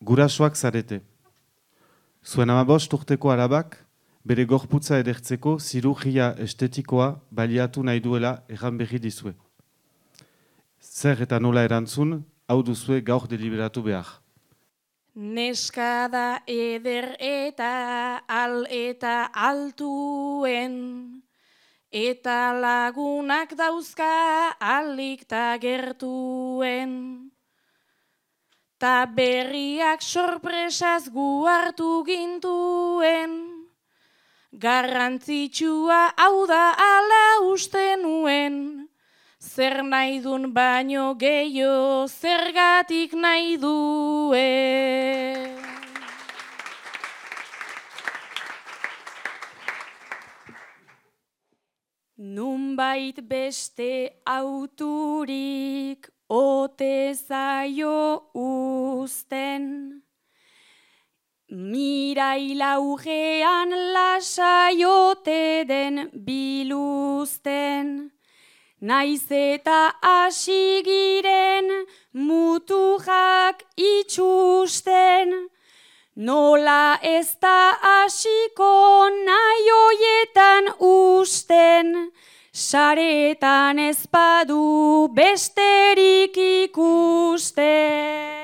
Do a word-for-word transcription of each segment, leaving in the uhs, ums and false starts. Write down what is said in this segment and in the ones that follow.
Gurasoak zarete. Zuen hamabost urteko alabak, bere gorputza edertzeko zirurgia estetikoa baliatu nahi duela erran berri dizue. Zer eta nola erantzun, hau duzue gaur deliberatu behar. Neska da eder eta al eta altuen, eta lagunak dauzka alik ta gertuen. Ta berriak sorpresaz gu hartu gintuen, garrantzitsua hau da ala uste nuen, zer nahi dun baino gehiago zergatik nahi duen. Nunbait beste auturik ote zaio uzten, mirailaugean lasaiote den biluzten, naiz eta hasi giren mutujak itxusten, nola ez da hasiko nahi hoietan usten, saretan ez badu besterik ikusten.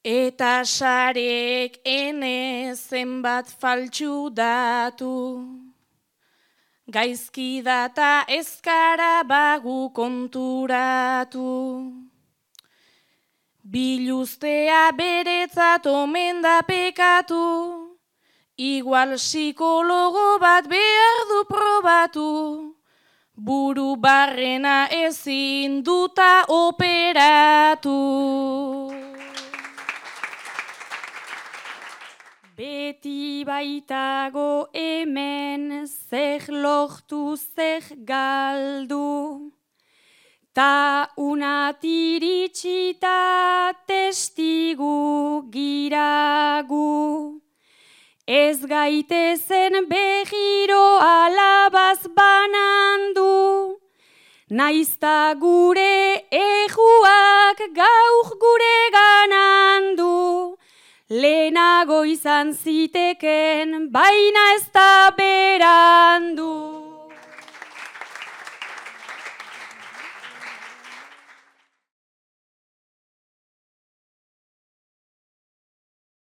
Eta sarek ene zenbat faltsu datu, gaizki data ezkara bagu konturatu. Biluztea beretzat omen da pekatu, igual psikologo bat behar du probatu, buru barrena ezin duta operatu. Beti baitago hemen zer lortu zer galdu, ta unatiritxita testigu giragu. Ez gaitezen behiro alabaz banandu, naizta gure ejuak gauk gure ganandu. Lehenago izan ziteken, baina ez da berandu.